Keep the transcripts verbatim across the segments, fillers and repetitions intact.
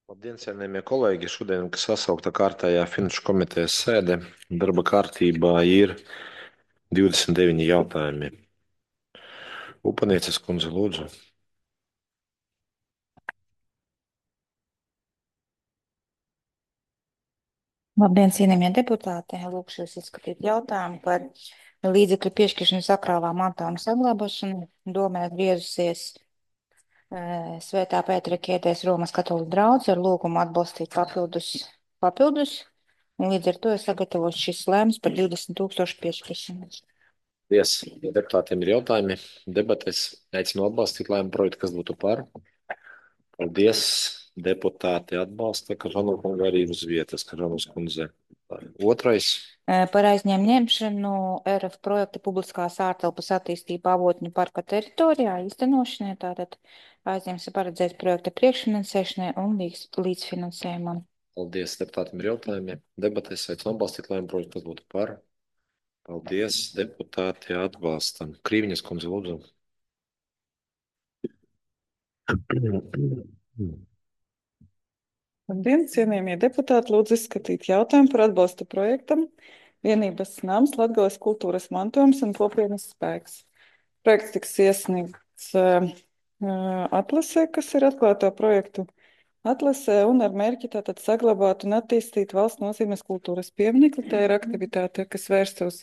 Labdien, cienījamie kolēģi! Šodien, kas sasaukta kārtējā finanšu komitejas sēde, darba kārtībā ir divdesmit deviņi jautājumi. Upanieces kundze, lūdzu. Labdien, cienījamie deputāti! Lūkšu jūs izskatīt jautājumu par līdzekļu piešķiršanu sakrālā mantojuma saglabāšanu. Domē griezusies eh, Svētā Pētera Kietēs Romas katoļu draudze ar lūgumu atbalstīt papildus, papildus, un līdz ar to ir sagatavots šis lēmums par divdesmit tūkstošu piešķiršanu. Paldies! Ja deputātiem ir jautājumi, debates aicinu atbalstīt lēmumu projektu, kas būtu par. Paldies! Deputāti atbalsta Kažanu kungu arī uz vietas, Kažanas kundze. Otrais. Eh, Par aizņēmu ņemšanu R F projekta publiskās ārtelpas attīstība Avotņu parka teritorijā īstenošanai, tātad aizņems ir paredzēts projekta priekšfinansēšanai un līdz, līdzfinansējumam. Paldies! Deputātiem ir jautājumi. Debates aicinu atbalstīt lēmumu projektu, kas būtu par. Paldies! Deputāti atbalsta. Krīviņas kundze, lūdzu. Labdien, cienījamie deputāti! Lūdzu izskatīt jautājumu par atbalstu projektam Vienības nams Latgales kultūras mantojums un kopienas spēks. Projekts tiks iesniegts uh, atlasē, kas ir atklāto projektu atlasē, un ar mērķi tātad saglabāt un attīstīt valsts nozīmes kultūras pieminekli. Tā ir aktivitāte, kas vērsta uz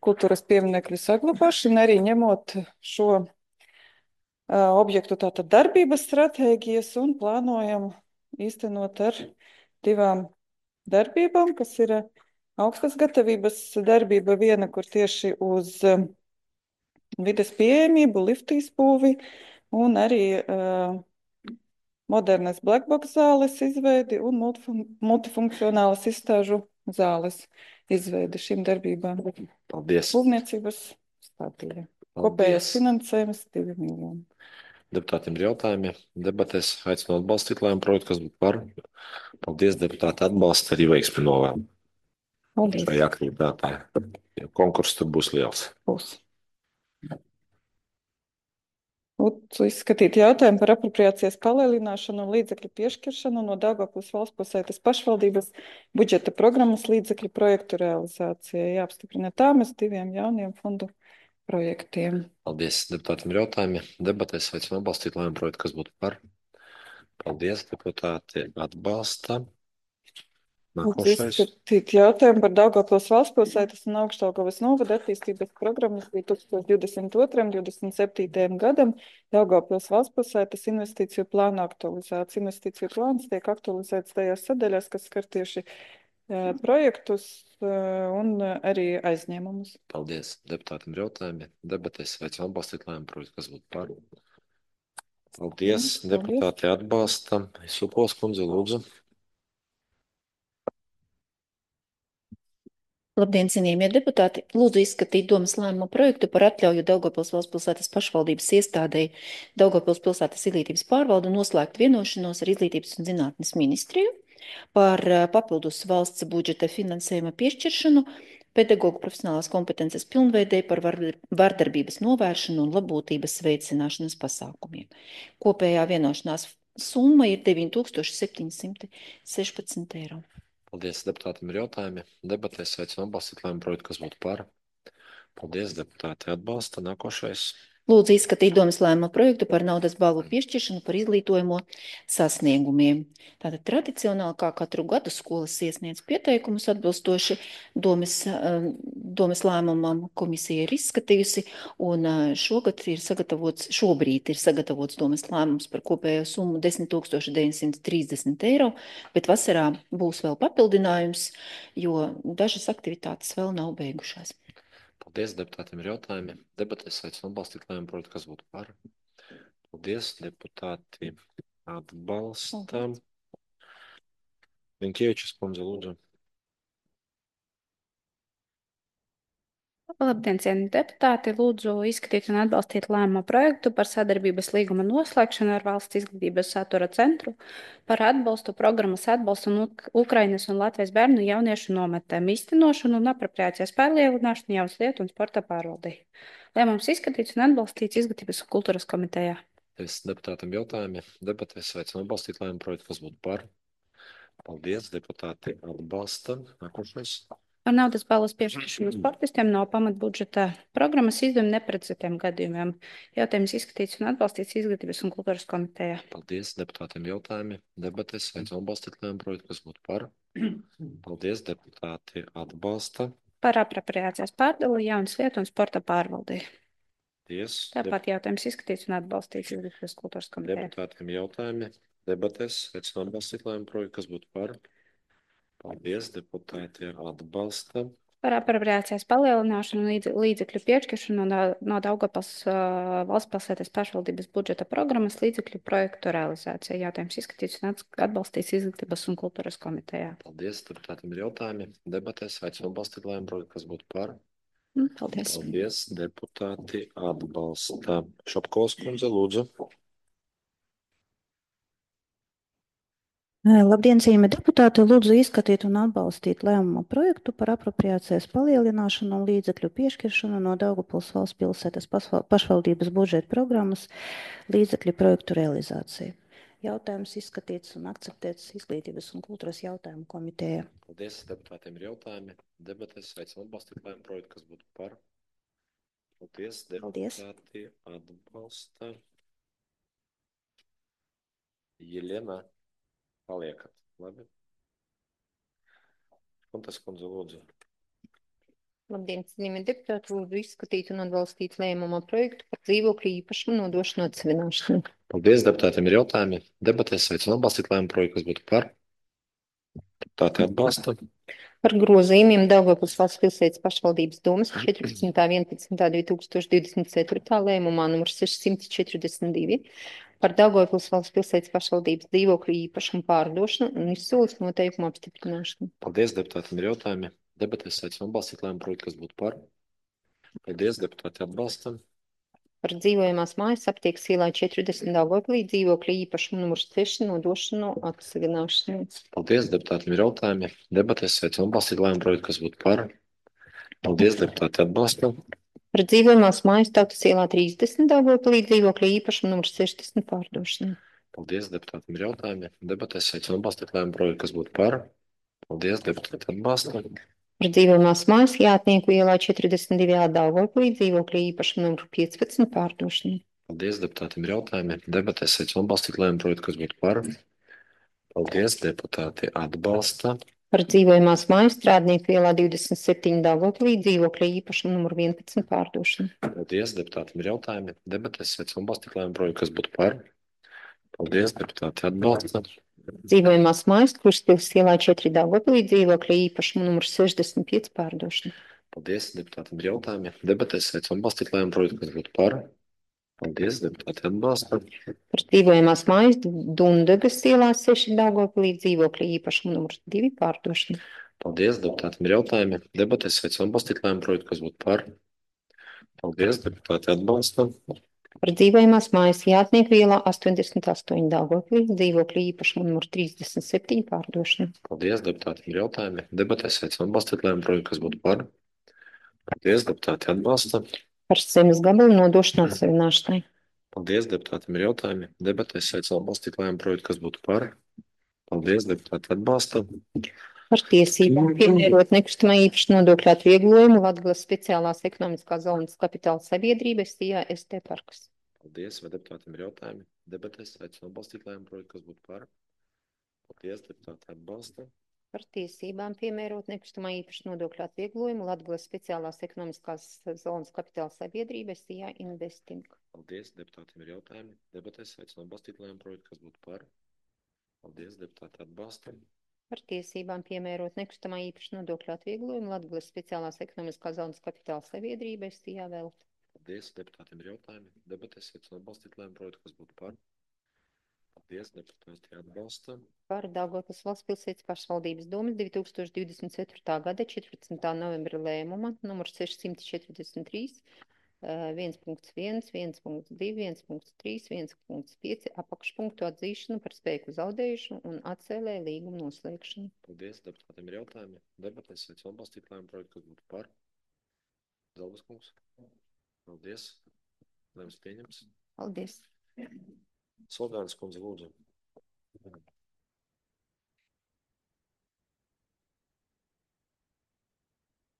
kultūras pieminekļu saglabāšanu, arī ņemot šo uh, objektu tātad darbības stratēģijas un plānojam īstenot ar divām darbībām, kas ir augstas gatavības darbība viena, kur tieši uz um, vides pieejamību, liftu izbūvi un arī uh, modernas blackbox zāles izveidi un multifun multifunkcionālas izstāžu zāles izveidi šīm darbībām. Paldies! Būvniecības stādījā. Kopējais finansējums divi miljoni. Deputātiem ir jautājumi. Debatēs aicinu atbalstīt lēmumu projektu, kas būtu par. Paldies, deputāti atbalsta arī veiksmi novēlu. Paldies. Šai aktivitātē. Jo konkurss tur būs liels. Būs. Lūdzu izskatīt jautājumu par apropriācijas palielināšanu un līdzekļu piešķiršanu no Daugavpils valsts pilsētas pašvaldības budžeta programmas līdzekļu projektu realizācijai. Jāapstiprina tāmas diviem jauniem fondu projektiem. Paldies, deputātiem ir jautājumi. Debatēs aicinu atbalstīt lēmumu projektu, kas būtu par. Paldies, deputāti atbalsta. Lūdzu Nākošais. izskatīt jautājumu par Daugavpils valsts pilsētas un Augšdaugavas novada attīstības programmas līdz tūkstoš divdesmit otram līdz divdesmit septītajam gadam. Daugavpils valsts pilsētas investīciju plāna aktualizācija. Investīciju plāns tiek aktualizēts tajās sadaļās, kas skar tieši uh, projektus uh, un uh, arī aizņēmumus. Paldies, deputātiem ir jautājumi. Debatēs aicinu atbalstīt lēmumu projektu, kas būtu par. Paldies, Paldies. deputāti atbalsta. Supos kundze, lūdzu. Labdien, cienījamie deputāti! Lūdzu izskatīt domas lēmumu projektu par atļauju Daugavpils valsts pilsētas pašvaldības iestādei Daugavpils pilsētas izglītības pārvaldu noslēgt vienošanos ar Izglītības un zinātnes ministriju par papildus valsts budžeta finansējuma piešķiršanu pedagogu profesionālās kompetences pilnveidē par vardarbības novēršanu un labotības veicināšanas pasākumiem. Kopējā vienošanās summa ir deviņi tūkstoši septiņi simti sešpadsmit eiro. Paldies, deputātiem ir jautājumi. Debatēs aicinu atbalstīt lēmumu projektu, kas būtu par. Paldies, deputāti atbalsta. Nākošais. Lūdzu izskatīt domas lēmumu projektu par naudas balvu piešķiršanu par izglītojumu sasniegumiem. Tātad tradicionāli, kā katru gadu skolas iesniedz pieteikumus atbilstoši domas, domas lēmumam, komisija ir izskatījusi, un šogad ir sagatavots, šobrīd ir sagatavots domas lēmums par kopējo summu desmit tūkstoši deviņsimt trīsdesmit eiro, bet vasarā būs vēl papildinājums, jo dažas aktivitātes vēl nav beigušās. Paldies, deputātiem ir jautājumi. Debatēs aicinu atbalstīt lēmumu projektu, kas būtu par. Paldies, deputāti atbalsta. Linkievičs kundze, lūdzu. Labdien, cienījamie deputāti! Lūdzu izskatīt un atbalstīt lēmumu projektu par sadarbības līguma noslēgšanu ar Valsts izglītības satura centru par atbalstu programmas atbalstu un Ukrainas un Latvijas bērnu jauniešu nometēm īstenošanu un apropriācijas pārlielināšanu jaunas lietu un sporta pārvaldei. Lēmums izskatīts un atbalstīts Izglītības un kultūras komitejā. Es deputātam jautājumi. Debatēs aicinu atbalstīt lēmumu projektu, kas būtu par. Paldies, deputāti atbalsta. Nākošais. Par naudas balvas piešķiršanu sportistiem no pamatbudžeta programmas izdevuma neprecizētiem gadījumiem. Jautājums izskatīts un atbalstīts Izglītības un kultūras komitejā. Paldies deputātiem jautājumi. Debates aicinu atbalstīt lēmumu projektu, kas būtu par. Paldies, deputāti atbalsta. Par apropriācijas pārdali jaunas lietu un sporta pārvaldī. Paldies. Tāpat jautājums izskatīts un atbalstīts Izglītības kultūras komitejā. Deputātiem jautājumi. Debates aicinu atbalstīt lēmumu projektu, kas būtu par. Paldies, deputāti atbalsta. Par apropriācijas palielināšanu un līdz, līdzekļu piešķiršanu no, no Daugavpils uh, valsts pilsētas pašvaldības budžeta programmas līdzekļu projektu realizācija. Jautājums izskatīts un atbalstīts Izglītības un kultūras komitejā. Paldies, deputātiem ir jautājumi. Debatēs aicinu atbalstīt lēmumu projektu, kas būtu par. Paldies. Paldies, deputāti atbalsta. Šapkovs kundze, lūdzu. Labdien, cienījamie deputāti! Lūdzu izskatīt un atbalstīt lēmuma projektu par apropriācijas palielināšanu un līdzekļu piešķiršanu no Daugavpils valsts pilsētas pašvaldības budžeta programmas līdzekļu projektu realizāciju. Jautājums izskatīts un akceptēts Izglītības un kultūras jautājumu komitejā. Paldies, deputātiem ir jautājumi. Debates aicinu atbalstīt lēmumu projektu, kas būtu par. Paldies, deputāti atbalsta. Jelena. Paliekat, labi. Kuntas kundze, lūdzu. Labdien, cienījamie deputāti, lūdzu izskatīt un atbalstīt lēmuma projektu par dzīvokļu īpašumu nodošanu atsevināšanu. Paldies, deputātiem ir jautājumi. Debatēs aicinu atbalstīt lēmumu projektu, kas būtu par. Deputāti atbalsta. Par grozījumiem Daugavpils valsts pilsētas pašvaldības domas četrpadsmitā vienpadsmitā divī tūkstoši divdesmit ceturtā lēmumā numur sešsimt četrdesmit divi par Daugavpils valsts pilsētas pašvaldības dzīvokļu īpašumu pārdošanu un izsoles noteikumu apstiprināšanu. Paldies, deputātiem ir jautājumi. Debatēs aicinu atbalstīt lēmumu projektu, kas būtu par. Paldies, deputāti atbalsta. Par dzīvojamās mājas aptiekas ielā četrdesmit Daugavpilī dzīvokļu īpašumu numurs seši nodošanu atsevināšanu. Paldies, deputātiem ir jautājumi. Debatēs aicinu atbalstīt lēmumu projektu, kas būtu par. Paldies, deputāti atbalsta. Par dzīvojamās mājas Tautas ielā trīsdesmit Daugavpilī dzīvokļu īpašumu numurs sešdesmit pārdošanu. Paldies, deputātiem ir jautājumi. Debatēs aicinu atbalstīt lēmumu projektu, kas būtu par. Paldies, deputāti atbalsta. Par dzīvojamās mājas Jātnieku ielā četrdesmit divi Daugavpilī dzīvokļu īpašumu numuru piecpadsmit pārdošanu. Paldies, deputātiem ir jautājumi. Debatēs aicinu atbalstīt lēmumu projektu, kas būtu par. Paldies, deputāti atbalsta. Par dzīvojamās mājas Strādnieku ielā divdesmit septiņi Daugavpilī dzīvokļu īpašumu numuru vienpadsmit pārdošanu. Paldies, deputātiem ir jautājumi. Debatēs aicinu atbalstīt lēmumu projektu, kas būtu par. Paldies, deputāti atbalsta. Dzīvojamās mājas Krustpils ielā četri Daugavpilī dzīvokļu īpašumu numuru sešdesmit pieci pārdošanu. Paldies, deputātiem ir jautājumi. Debatēs aicinu atbalstīt lēmumu projektu, kas būtu par. Paldies, deputāti atbalsta. Par dzīvojamās mājas Dundagas ielā seši Daugavpilī dzīvokļu īpašumu numuru divi pārdošanu. Paldies, deputātiem ir jautājumi. Debatēs aicinu atbalstīt lēmumu projektu, kas būtu par. Paldies, deputāti atbalsta. Par dzīvojamās mājas Jātnieku ielā astoņdesmit astoņi Daugavpilī dzīvokļu īpašumu numuru trīsdesmit septiņi pārdošanu. Paldies, deputātiem ir jautājumi. Debatēs aicinu atbalstīt lēmumu projektu, kas būtu par. Paldies, deputāti atbalsta. Par zemes gabalu nodošanu atsevināšanai. Paldies, deputātiem ir jautājumi. Debatēs aicinu atbalstīt lēmumu projektu, kas būtu par. Paldies, deputāti atbalsta. Par tiesībām piemērot nekustamā īpašuma nodokļu atvieglojumu Latgales speciālās ekonomiskās zonas kapitāla sabiedrība S T A S T Parks. Paldies, vai deputātiem ir jautājumi. Debatēs aicinu atbalstīt lēmumu projektu, kas būtu par. Paldies, deputāti atbalsta. Par tiesībām piemērot nekustamā īpašuma nodokļu atvieglojumu Latgales speciālās ekonomiskās zonas kapitāla sabiedrība S T A Investing. Paldies, deputātiem ir jautājumi. Debatēs aicinu atbalstīt lēmumu projektu, kas būtu par. Paldies, deputāti atbalsta. Par tiesībām piemērot nekustamā īpašuma nodokļu atvieglojumu Latgales speciālās ekonomiskās zonas kapitāla sabiedrība S T A Velt. Paldies, deputātiem ir jautājumi. Debatēs aicinu atbalstīt lēmumu projektu, kas būtu par. Paldies, deputāti atbalsta. Par Daugavpils valsts pilsētas pašvaldības domas divi tūkstoši divdesmit ceturtā gada četrpadsmitā novembra lēmuma numur sešsimt četrdesmit trīs viens punkts viens, viens punkts divi, viens punkts trīs, viens punkts pieci apakšpunktu atzīšanu par spēku zaudējušanu un atcēlē līgumu noslēgšanu. Paldies, deputātiem ir jautājumi. Debatēs aicinu atbalstīt lēmumu projektu, kas būtu par. Zalbas kungs. Paldies. Lēmums pieņems. Paldies. Soldānis kundze, lūdzu.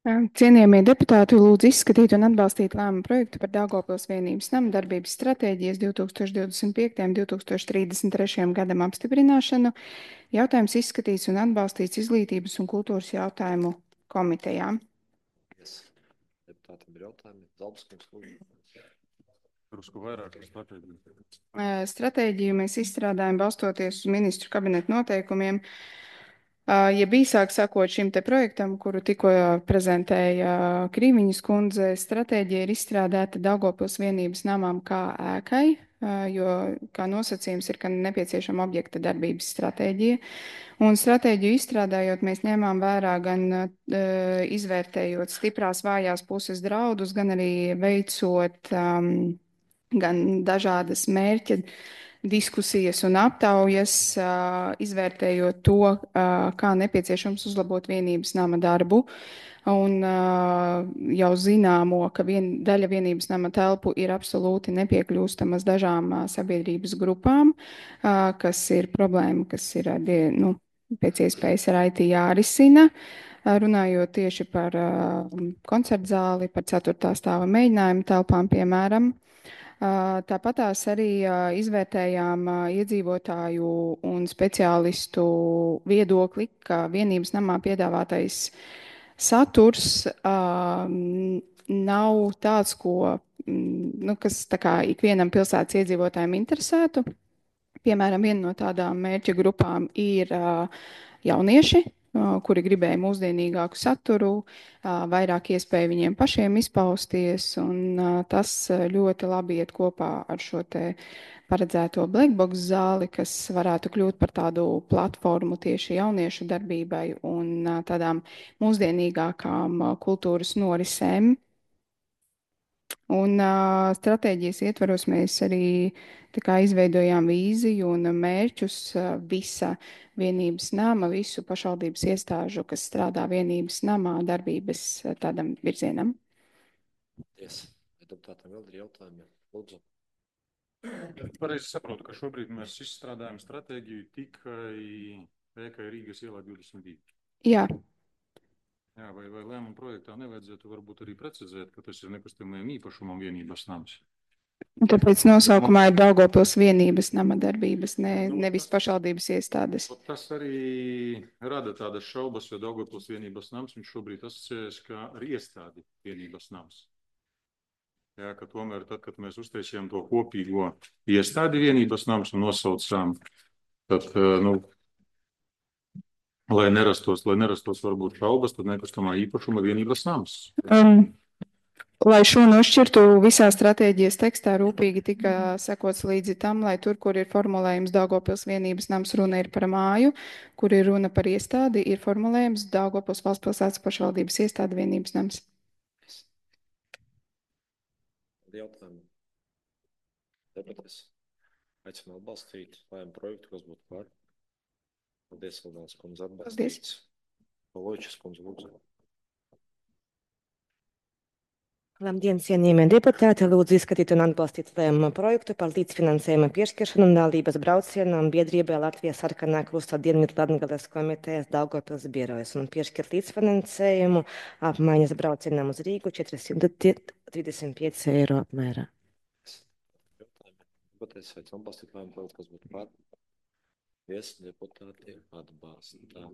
Cienījamie deputāti, lūdzu izskatīt un atbalstīt lēmumu projektu par Daugavpils vienības nama darbības stratēģijas divtūkstoš divdesmit piektajam līdz divtūkstoš trīsdesmit trešajam gadam apstiprināšanu. Jautājums izskatīts un atbalstīts Izglītības un kultūras jautājumu komitejā. Yes. Deputātiem ir jautājumi. Zalbskungs, lūdzu. Drusku vairāk par stratēģiju. Stratēģiju mēs izstrādājam balstoties uz ministru kabineta noteikumiem. Ja īsāk sakot šim te projektam, kuru tikko prezentēja Krīviņas kundze, stratēģija ir izstrādāta Daugavpils vienības namām kā ēkai, jo kā nosacījums ir, ka nepieciešama objekta darbības stratēģija. Un stratēģiju izstrādājot, mēs ņēmām vērā gan izvērtējot stiprās vājās puses draudus, gan arī veicot um, gan dažādas mērķa diskusijas un aptaujas, izvērtējot to, kā nepieciešams uzlabot vienības nama darbu. Un jau zināmo, ka vien, daļa vienības nama telpu ir absolūti nepiekļūstamas dažām sabiedrības grupām, kas ir problēma, kas ir nu, pēc iespējas ar I T jārisina. Runājot tieši par koncertzāli, par ceturtā stāva mēģinājumu telpām, piemēram. Tāpatās arī izvērtējām iedzīvotāju un speciālistu viedokli, ka vienības namā piedāvātais saturs nav tāds, ko, nu, kas tā kā ikvienam pilsētas iedzīvotājiem interesētu. Piemēram, viena no tādām mērķa grupām ir jaunieši, kuri gribēja mūsdienīgāku saturu, vairāk iespēju viņiem pašiem izpausties, un tas ļoti labi iet kopā ar šo te paredzēto Blackbox zāli, kas varētu kļūt par tādu platformu tieši jauniešu darbībai un tādām mūsdienīgākām kultūras norisēm. Un uh, stratēģijas ietvaros mēs arī tā kā izveidojām vīziju un mērķus uh, visa vienības nama, visu pašvaldības iestāžu, kas strādā vienības namā, darbības uh, tādam virzienam. Yes. Deputātam vēl ir jautājumi. Lūdzu. Pareizi saprotu, ka šobrīd mēs izstrādājam stratēģiju tikai ēkai Rīgas ielā divdesmit divi. Jā. Jā, vai, vai lēmuma projektā nevajadzētu varbūt arī precizēt, ka tas ir nekustamajam īpašumam vienības nams? Un tāpēc nosaukumā ir Daugavpils vienības nama darbības, ne, nevis pašvaldības iestādes. Tas arī rada tādas šaubas, jo Daugavpils vienības nams viņš šobrīd asociējas kā ar iestādi vienības nams. Jā, ka tomēr tad, kad mēs uztaisījām to kopīgo iestādi vienības nams un nosaucām, tad, nu, Lai nerastos, lai nerastos varbūt šaubas, tad nekustamā īpašuma vienības nams. Um, lai šo nošķirtu, visā stratēģijas tekstā rūpīgi tika sekots līdzi tam, lai tur, kur ir formulējums Daugavpils vienības nams, runa ir par māju, kur ir runa par iestādi, ir formulējums Daugavpils valsts pilsētas pašvaldības iestādi vienības nams. Jautājumu. Debates. Aicinu atbalstīt lēmumu projektu, kas būtu par. Paldies, Valdās kundze, atbalstīts. Paločas kundze, lūdzu. Labdien, cienījamie deputāti! Lūdzu izskatīt un atbalstīt lēmuma projektu par līdzfinansējuma piešķiršanu un dalības braucienam biedrībai Latvijas Sarkanā Krusta Dienvidu Latgales komitejas Daugavpils birojas un piešķirt līdzfinansējumu apmaiņas braucienam uz Rīgu četri trīsdesmit pieci eiro apmērā. Debatēs aicinu atbalstīt lēmumu projektu, kas būtu par. Vies deputāti atbalstā.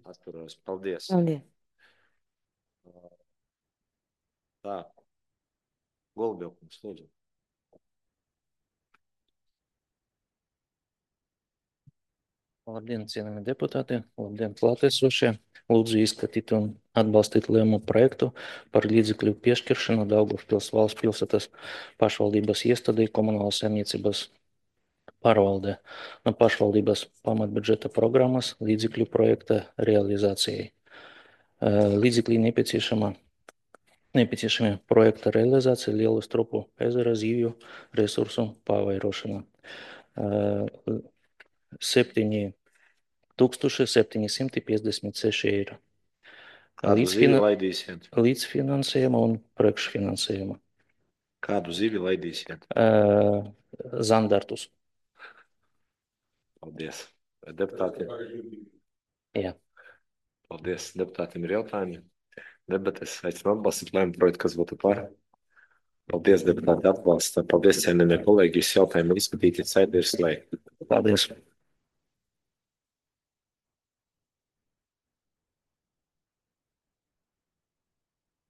Atturās. Paldies. Paldies. Tā. Golubjokums, lūdzu. Labdien, cienījamie deputāti, labdien, klātesošie. Lūdzu izskatīt un atbalstīt lēmumu projektu par līdzekļu piešķiršanu Daugavpils valsts pilsētas pašvaldības iestādei komunālas saimniecības pārvaldē no pašvaldības pamatbudžeta programmas līdzekļu projekta realizācijai. Līdzekļi nepieciešama, nepieciešami projekta realizācija Lielu Stropu ezera zivju resursu pavairošana. septiņi tūkstoši septiņi simti piecdesmit seši eiro. Kādu zivi laidīsiet? Līdzfinansējuma un priekšfinansējuma. Kādu zivi laidīsiet? Uh, Zandartus. Paldies. Deputāti. Jā. Paldies. Deputātiem ir jautājumi. Debates aicinu atbalstīt lēmumu projektu, kas būtu par. Paldies, deputāti atbalsta. Paldies, cienījamie kolēģi. Visi jautājumi ir izskatīti, sēde ir slēgta. Paldies.